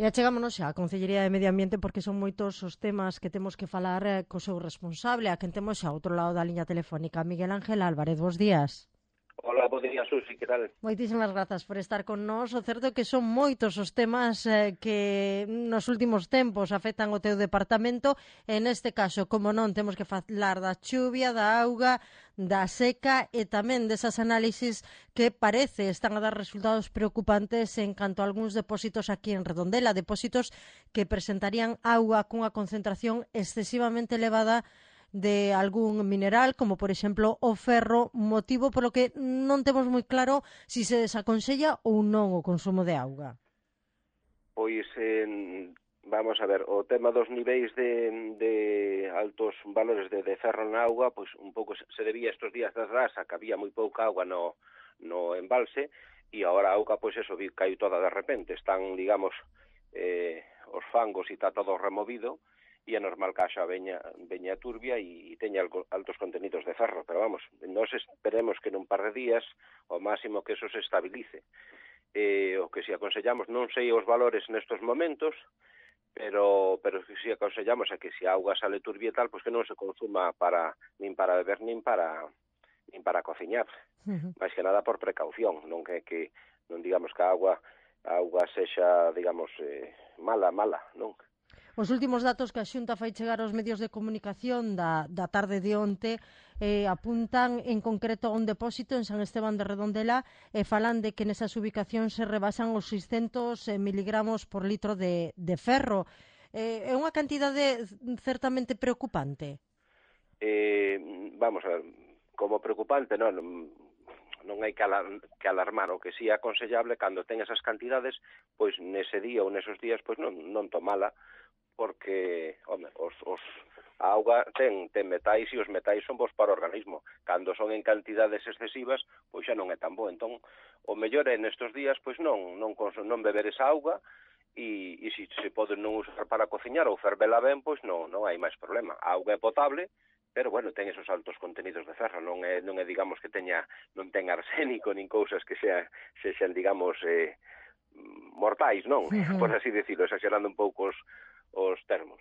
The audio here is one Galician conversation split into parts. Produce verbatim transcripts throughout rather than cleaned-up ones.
E achegámonos xa á Concellería de Medio Ambiente porque son moitos os temas que temos que falar eh, co seu responsable, a quen temos xa ao outro lado da liña telefónica, Miguel Ángel Álvarez. Bos días. Hola, bo día, Susi, que tal? Moitísimas grazas por estar con nós. O certo é que son moitos os temas eh, que nos últimos tempos afectan o teu departamento. E neste caso, como non, temos que falar da chuvia, da auga, da seca e tamén desas análisis que parece están a dar resultados preocupantes en canto a algúns depósitos aquí en Redondela, depósitos que presentarían auga cunha concentración excesivamente elevada de algún mineral, como por exemplo o ferro, motivo polo que non temos moi claro se se desaconsella ou non o consumo de auga. Pois, eh, vamos a ver, o tema dos niveis de, de altos valores de, de ferro na auga, pois un pouco se debía estos días das rasa, que había moi pouca auga no, no embalse, e agora a auga, pois eso, caiu toda de repente. Están, digamos, eh, os fangos e está todo removido, e é normal que haxa veña, veña turbia e, e teña altos contenidos de ferro, pero vamos, nós esperemos que nun par de días o máximo que eso se estabilice. Eh, o que si aconsellamos, non sei os valores nestos momentos, pero pero que si aconsellamos é que se a auga sale turbia e tal, pois que non se consuma para nin para beber nin para nin para cociñar. Uh-huh. Mais que nada por precaución, non que que non digamos que a auga a auga sexa, digamos, eh, mala, mala, non? Os últimos datos que a Xunta fai chegar aos medios de comunicación da, da tarde de onte eh, apuntan en concreto a un depósito en San Esteban de Redondela e falan de que nesas ubicacións se rebasan os seiscentos miligramos por litro de, de ferro. Eh, é unha cantidade certamente preocupante? Eh, vamos a ver, como preocupante, non, non hai que, alar, que alarmar. O que sí é aconsellable, cando ten esas cantidades, pois nese día ou nesos días, pois non, non tomala, porque, home, os, os, a auga ten, ten metais e os metais son bons para o organismo. Cando son en cantidades excesivas, pois xa non é tan bo. Entón, o mellor é nestes días, pois non, non, non beber esa auga e, e se se pode non usar para cociñar ou fervela ben, pois non, non hai máis problema. A auga é potable, pero, bueno, ten esos altos contenidos de ferro. Non é, non é digamos, que teña, non ten arsénico nin cousas que sea, se xen, digamos, eh, mortais, non? Uh-huh. Por así decirlo, exagerando un pouco os os termos.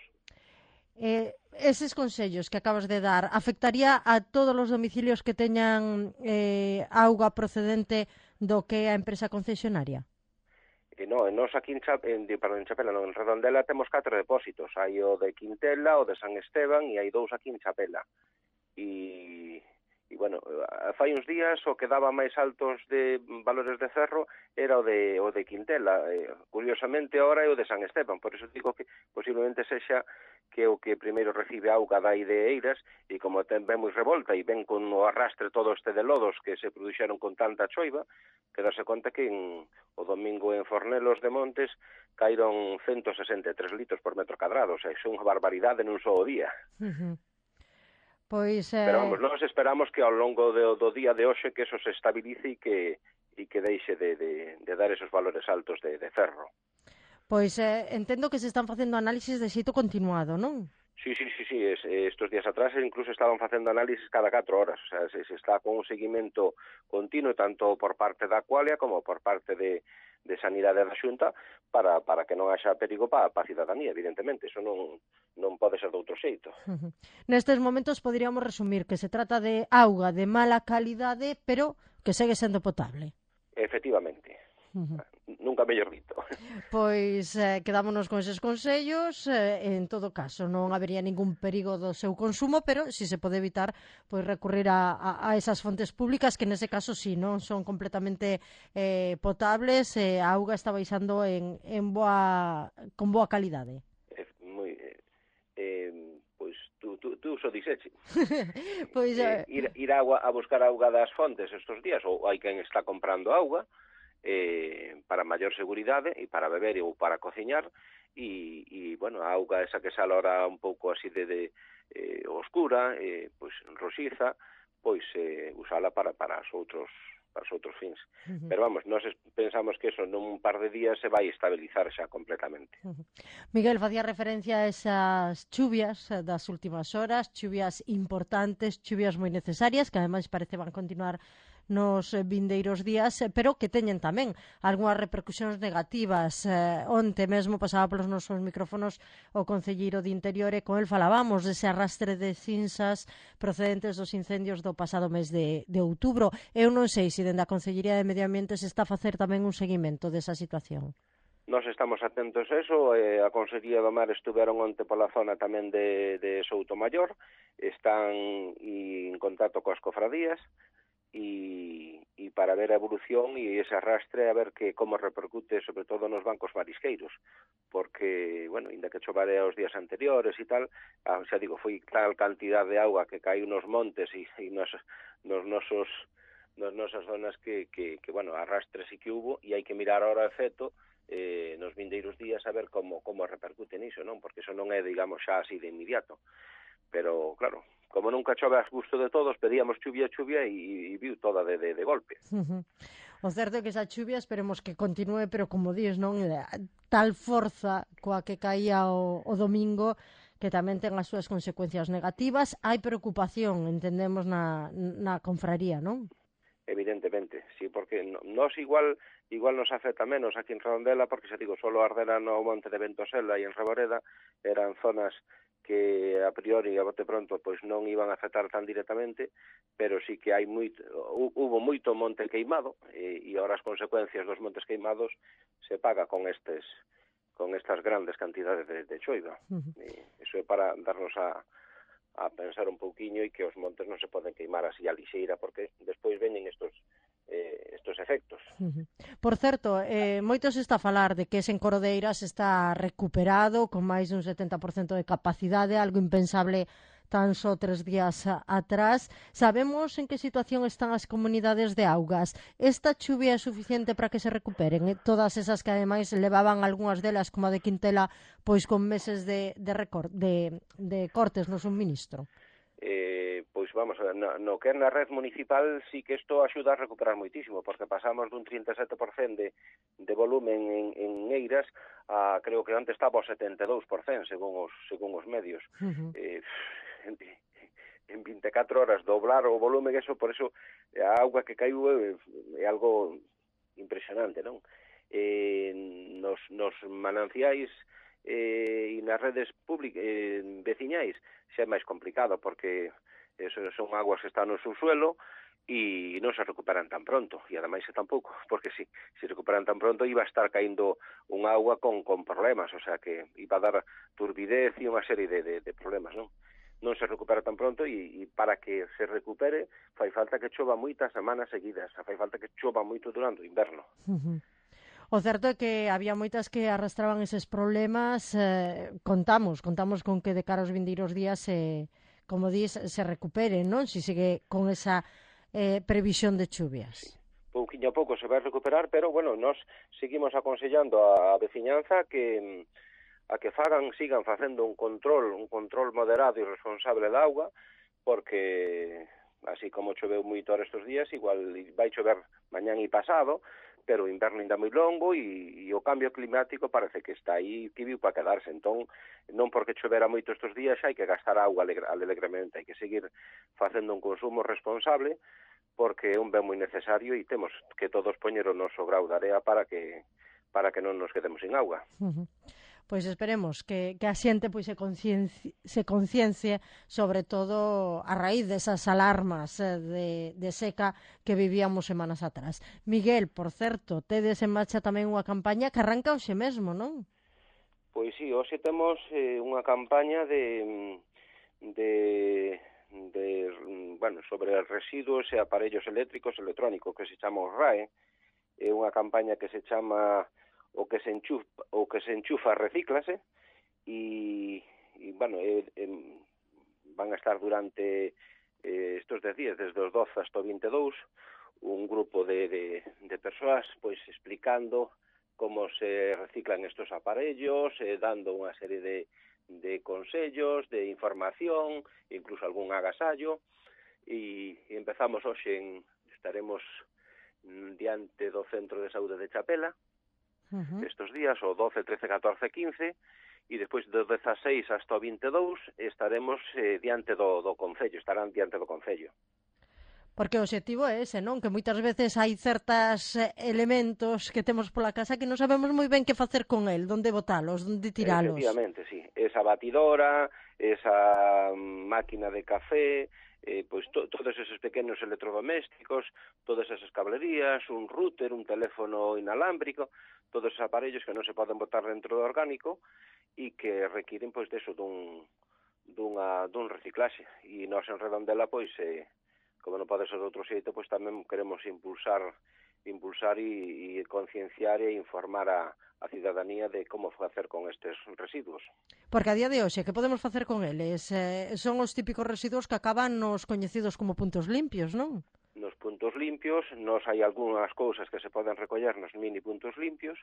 Eh, eses consellos que acabas de dar afectaría a todos os domicilios que teñan eh, auga procedente do que é a empresa concesionaria? E non, nós aquí en, Cha, en, perdón, en Chapela, non, en Redondela temos catro depósitos. Hai o de Quintela, o de San Esteban e hai dous aquí en Chapela. E... E, bueno, fai uns días o que daba máis altos de valores de ferro era o de, o de Quintela. Eh, curiosamente, ahora é o de San Esteban. Por eso digo que posiblemente sexa que o que primeiro recibe auga dai de Eiras e como ten ben moi revolta e ven con o arrastre todo este de lodos que se produxeron con tanta choiva, que darse conta que en, o domingo en Fornelos de Montes caíron ciento sesenta e tres litros por metro cadrado. O sea, é unha barbaridade nun só día. Uh-huh. Pois, eh... Pero vamos, nós esperamos que ao longo do, do día de hoxe que eso se estabilice e que, e que deixe de, de, de dar esos valores altos de, de ferro. Pois eh, entendo que se están facendo análisis de xeito continuado, non? Sí, sí, sí, sí. Es, estos días atrás incluso estaban facendo análisis cada catro horas. O sea, se, se está con un seguimento continuo tanto por parte da Aqualia como por parte de, de Sanidade da Xunta para, para que non haxa perigo para a cidadanía, evidentemente. Eso non, non pode ser de outro xeito. Uh-huh. Nestes momentos poderíamos resumir que se trata de auga de mala calidade, pero que segue sendo potable. Efectivamente. Uh-huh. Nunca mellor dito. Pois eh, quedámonos con eses consellos, eh, en todo caso non habería ningún perigo do seu consumo, pero si se pode evitar, pois recurrir a, a, a esas fontes públicas que nese caso si, non son completamente eh, potables, e eh, a auga está baixando en, en boa, con boa calidade. Eh, moi, eh, eh, pois tú, tú, tú só dixeche. Pois, eh, ir, ir agua, a buscar auga das fontes estes días, ou hai quen está comprando auga, Eh, para maior seguridade e para beber ou para cociñar e, e bueno, a auga esa que sale ahora un pouco así de, de eh, oscura, eh, pois roxiza, pois eh, usala para, para os outros para os outros fins. Uh-huh. Pero vamos, nós pensamos que eso nun par de días se vai estabilizar xa completamente. Uh-huh. Miguel, facía referencia a esas chuvias das últimas horas, chuvias importantes, chuvias moi necesarias, que ademais parece van continuar nos vindeiros días, pero que teñen tamén algunhas repercusións negativas. Eh, onte mesmo pasaba polos nosos micrófonos o concelleiro de Interior e con el falábamos dese arrastre de cinzas procedentes dos incendios do pasado mes de, de outubro. Eu non sei se dende a Concellería de Medio Ambiente se está a facer tamén un seguimento desa situación. Nos estamos atentos a eso, eh, a Consellería do Mar estuveron onte pola zona tamén de, de Soutomaior, están en contacto coas cofradías e, e para ver a evolución e ese arrastre a ver que como repercute sobre todo nos bancos marisqueiros, porque, bueno, inda que chovare os días anteriores e tal, ah, xa digo, foi tal cantidad de auga que cae nos montes e, e nos, nos nosos nas nosas zonas que, que, que, bueno, arrastre sí que hubo e hai que mirar ahora o efecto eh, nos vindeiros días a ver como, como repercute niso, non? Porque eso non é, digamos, xa así de inmediato. Pero, claro, como nunca chove a gusto de todos, pedíamos chuvia, chuvia e, e viu toda de, de, de golpe. Uh-huh. O certo é que esa chuvia esperemos que continúe, pero como dis, non, tal forza coa que caía o, o domingo que tamén ten as súas consecuencias negativas. Hai preocupación, entendemos, na, na confraría, non? Evidentemente, sí, porque nos igual igual nos afecta menos aquí en Redondela, porque xa digo, solo Ardera no monte de Ventosela e en Reboreda eran zonas que a priori, a bote pronto, pois non iban a afectar tan directamente, pero sí que hai moito, hubo moito monte queimado e, e ahora as consecuencias dos montes queimados se paga con estes con estas grandes cantidades de, de choiva. Uh-huh. E iso é para darnos a a pensar un pouquiño e que os montes non se poden queimar así a lixeira, porque despois veñen estos eh, estos efectos. Uh-huh. Por certo, eh, moito se está a falar de que ese en Corodeiras está recuperado con máis dun setenta por cento de capacidade, algo impensable tan só tres días atrás. Sabemos en que situación están as comunidades de Augas. Esta chuvia é suficiente para que se recuperen? Eh? Todas esas que ademais levaban algunhas delas, como a de Quintela, pois con meses de, de, recor de, de cortes no suministro. Eh, pois vamos, no, no que é na red municipal sí que isto axuda a recuperar moitísimo, porque pasamos dun trinta e sete por cento de, de volumen en, en Eiras a, creo que antes estaba ao setenta e dous por cento según os, según os medios. Uh-huh. eh, en, en vinte e catro horas doblar o volumen, eso, por eso a auga que caiu é, é algo impresionante, non? Eh, nos, nos mananciais eh, e nas redes públicas eh, veciñais xa é máis complicado, porque eso son aguas que están no subsuelo e non se recuperan tan pronto, e ademais é tampouco, porque si se recuperan tan pronto iba a estar caindo un agua con, con problemas, o sea que iba a dar turbidez e unha serie de, de, de problemas, non? Non se recupera tan pronto e, e para que se recupere fai falta que chova moitas semanas seguidas, fai falta que chova moito durante o inverno. Uh-huh. O certo é que había moitas que arrastraban eses problemas, eh, contamos, contamos con que de cara aos vindeiros días se, como dis, se recupere, non? Si sigue con esa eh, previsión de chuvias. Sí. Pouquiño a pouco se vai recuperar, pero, bueno, nós seguimos aconsellando a veciñanza que a que fagan, sigan facendo un control, un control moderado e responsable da auga, porque así como choveu moito estes días, igual vai chover mañán e pasado, pero o inverno ainda moi longo e, e o cambio climático parece que está aí, que viu para quedarse. Entón, non porque chovera moito estes días xa hai que gastar auga alegremente, hai que seguir facendo un consumo responsable, porque é un ben moi necesario e temos que todos poñer o noso grau de area para que para que non nos quedemos sin auga. Uh-huh. Pois esperemos que, que a xente pois, se, conciencie, se conciencie sobre todo a raíz desas alarmas eh, de, de seca que vivíamos semanas atrás. Miguel, por certo, tedes en marcha tamén unha campaña que arranca hoxe mesmo, non? Pois sí, hoxe temos eh, unha campaña de, de, de bueno, sobre residuos e aparellos eléctricos electrónicos que se chama o R A E. É unha campaña que se chama o que se enchufa, o que se enchufa recíclase e, e bueno, eh, eh, van a estar durante eh, estos dez días, desde os doce hasta o vinte e dous, un grupo de, de, de persoas pois explicando como se reciclan estos aparellos, eh, dando unha serie de, de consellos, de información, incluso algún agasallo, e, e empezamos hoxe en, estaremos diante do Centro de Saúde de Chapela, uh-huh. estos días, o doce, trece, catorce, quince, e despois do dezaseis hasta o vinte e dous estaremos eh, diante do, do Concello, estarán diante do Concello. Porque o obxectivo é ese, non? Que moitas veces hai certas eh, elementos que temos pola casa que non sabemos moi ben que facer con el, onde botalos, onde tiralos. Efectivamente, sí. Esa batidora, esa máquina de café, eh, pois to, todos esos pequenos electrodomésticos, todas esas cablerías, un router, un teléfono inalámbrico, todos esos aparellos que non se poden botar dentro do orgánico e que requiren, pois, deso, dun, dunha, dun reciclaxe. E nós en Redondela, pois, eh, como non pode ser de outro xeito, pois tamén queremos impulsar impulsar e, e concienciar e informar a, a cidadanía de como facer con estes residuos. Porque a día de hoxe, que podemos facer con eles? Eh, son os típicos residuos que acaban nos coñecidos como puntos limpios, non? Nos puntos limpios, nos hai algunhas cousas que se poden recoller nos mini puntos limpios,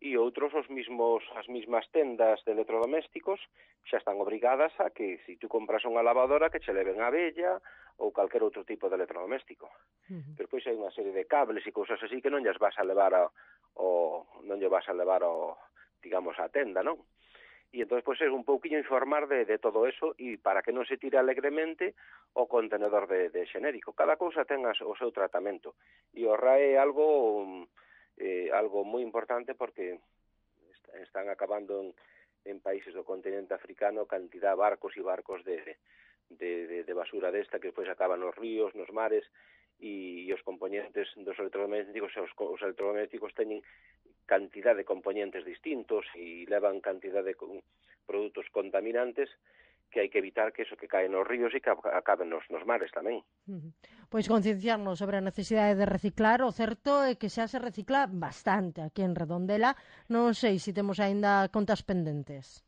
e outros os mismos as mismas tendas de electrodomésticos xa están obrigadas a que se si tú compras unha lavadora que che leven a vella ou calquer outro tipo de electrodoméstico. Uh-huh. Pero pois hai unha serie de cables e cousas así que non lles vas a levar a, o non lle vas a levar ao, digamos, a tenda, non? E entón, pois, é un pouquiño informar de, de todo eso e para que non se tire alegremente o contenedor de, de xenérico. Cada cousa ten as, o seu tratamento. E o R A E é algo, eh, algo moi importante porque están acabando en, en países do continente africano cantidad de barcos e barcos de, de, de, de basura desta que despois acaban nos ríos, nos mares, e, e os componentes dos electrodomésticos, os, os electrodomésticos teñen cantidad de componentes distintos e levan cantidad de produtos contaminantes que hai que evitar que eso que cae nos ríos e que acaben nos, nos mares tamén. Uh-huh. Pois concienciarnos sobre a necesidade de reciclar, o certo é que xa se recicla bastante aquí en Redondela. Non sei se temos aínda contas pendentes.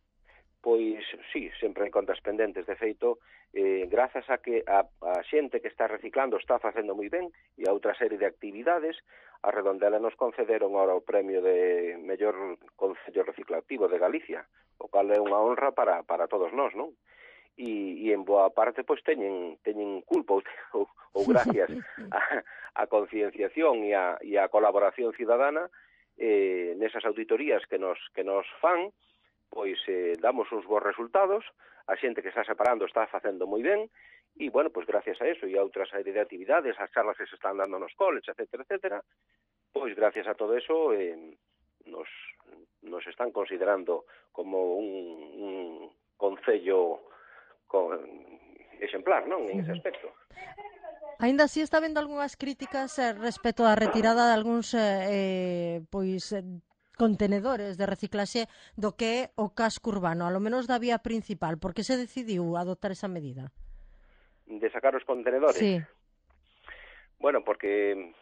Pois sí, sempre hai contas pendentes. De feito, eh, grazas a que a, a xente que está reciclando está facendo moi ben e a outra serie de actividades, a Redondela nos concederon ahora o premio de mellor concello reciclativo de Galicia, o cal é unha honra para, para todos nós, non? E, e en boa parte pois teñen, teñen culpa ou, ou gracias a, a concienciación e a, e a colaboración cidadana eh, nesas auditorías que nos, que nos fan, pois eh, damos uns bons resultados, a xente que está separando está facendo moi ben, e, bueno, pois gracias a eso e a outras serie de actividades, as charlas que se están dando nos coles, etcétera, etcétera, pois gracias a todo eso eh, nos, nos están considerando como un, un concello con, exemplar, non, en ese aspecto. Ainda así está vendo algunhas críticas eh, respecto á retirada de algúns eh, pois... Eh, contenedores de reciclaxe do que é o casco urbano, a lo menos da vía principal. Por que se decidiu adoptar esa medida? De sacar os contenedores? Sí. Bueno, porque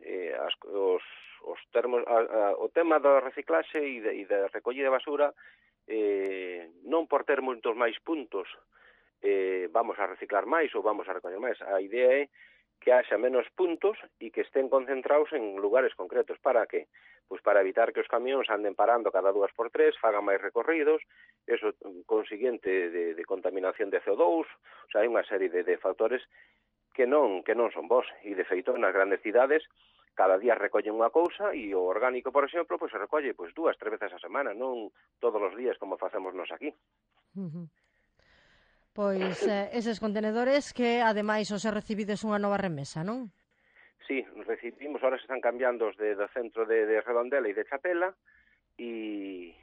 eh, as, os, os termos, a, a, o tema da reciclaxe e de, e de recollida de basura eh, non por ter moitos máis puntos eh, vamos a reciclar máis ou vamos a recoller máis. A idea é que haxa menos puntos e que estén concentrados en lugares concretos. Para que? Pois para evitar que os camións anden parando cada dúas por tres, fagan máis recorridos, eso consiguiente de, de contaminación de C O dos, o sea, hai unha serie de, de factores que non que non son bons. E, de feito, nas grandes cidades, cada día recollen unha cousa e o orgánico, por exemplo, pois se recolle pois dúas, tres veces a semana, non todos os días como facemos nos aquí. Uh-huh. Pois eh, eses contenedores que, ademais, os é recibides unha nova remesa, non? Sí, recibimos, ahora se están cambiando os de, do centro de, de Redondela e de Chapela e,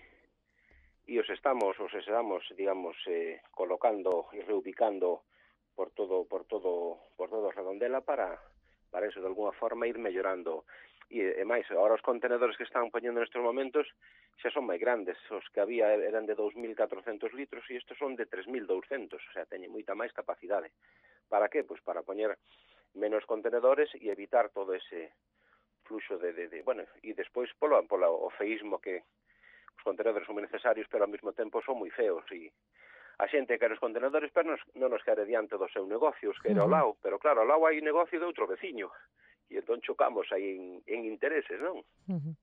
e os estamos, os estamos, digamos, eh, colocando e reubicando por todo por todo por todo Redondela para para eso, de alguna forma, ir mellorando. E, e máis, agora os contenedores que están poñendo nestes momentos xa son máis grandes. Os que había eran de dous mil catrocentos litros e estes son de tres mil douscentos, o sea, teñen moita máis capacidade. Para que? Pois para poñer menos contenedores e evitar todo ese fluxo de, de, de bueno, e despois polo, polo o feísmo que os contenedores son moi necesarios, pero ao mesmo tempo son moi feos e a xente quere os contenedores, pero nos, non nos quere diante do seu negocio, os quere ao lado, pero claro, ao lado hai negocio de outro veciño. E entón chocamos aí en, en intereses, non? Uh-huh.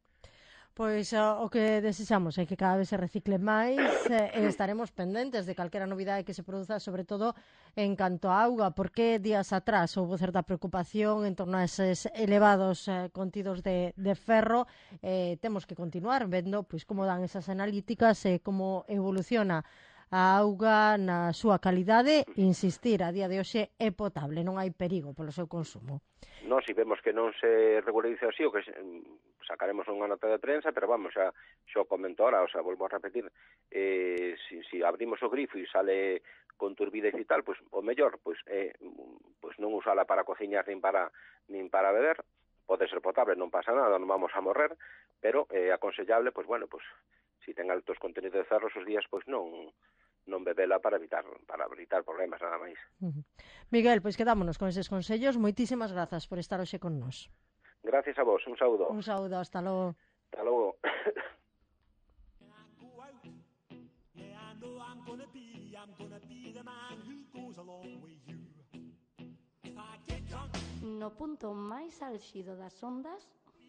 Pois uh, o que desexamos é que cada vez se recicle máis eh, e estaremos pendentes de calquera novidade que se produza, sobre todo en canto a auga, porque días atrás houve certa preocupación en torno a eses elevados eh, contidos de, de ferro. Eh, temos que continuar vendo pois como dan esas analíticas e eh, como evoluciona a auga na súa calidade, insistir, a día de hoxe é potable, non hai perigo polo seu consumo. Non, si vemos que non se regulariza así, o que sacaremos unha nota de prensa, pero vamos, xa, xa o comento ahora, o sea, volvo a repetir, eh, si, si abrimos o grifo e sale con turbidez e tal, pues, o mellor, pues, eh, pues non usala para cociñar nin para, nin para beber, pode ser potable, non pasa nada, non vamos a morrer, pero é eh, aconsellable, pues, bueno, pues, si ten altos contenidos de ferro esos días, pues non non bebela para evitar para evitar problemas, nada máis. Uh-huh. Miguel, pois quedámonos con eses consellos. Moitísimas grazas por estar hoxe con nós. Gracias a vos, un saúdo. Un saúdo, hasta logo. Hasta logo. No punto máis álxido das ondas,